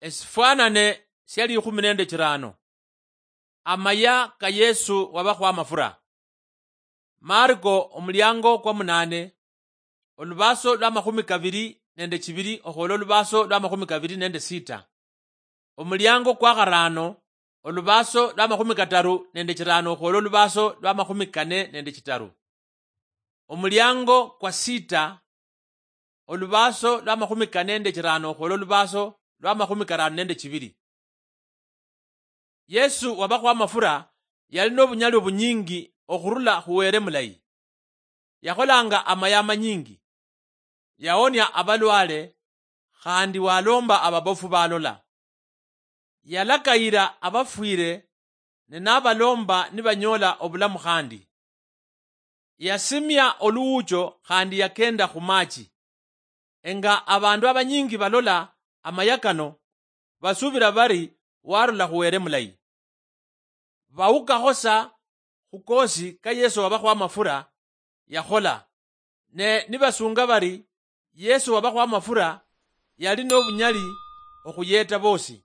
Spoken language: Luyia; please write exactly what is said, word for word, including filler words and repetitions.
Esifwanane sia likhumi nende chirano. Amaya ka Yesu wabakhwa amafura. Marko omuliango kwa munane, olubaso lwa makhumi kabiri nende chibiri okhwola olubaso lwa makhumi kabiri nende sita. Omuliango kwa kharano, olubaso lwa makhumi kataru nende chirano okhwola olubaso lwa makhumi kane nende chitaru. Omuliango kwa sita, olubaso lwa makhumi kane nende chirano okhwola olubaso lwa makhumi karano nende chibiri. Yesu wabakhwa amafura yali nobunyali obunyingi okhurula khu Were mulayi. Yakholanga amaya amanyingi. Yaonia abalwale, khandi walomba ababofu balola. Yalakayira abafwire, ne nabalomba nibanyola obulamu khandi. Yasimia oluwucho khandi yakenda khumachi. Enga abandu abanyingi balola amaya kano, basubira bari warula khu Were mulayi. Bawukakho sa khu kosi ka Yesu wabakhwa amafura yakhola, ne nibasunga bari Yesu wabakhwa amafura yali nobunyali okhuyeta bosi.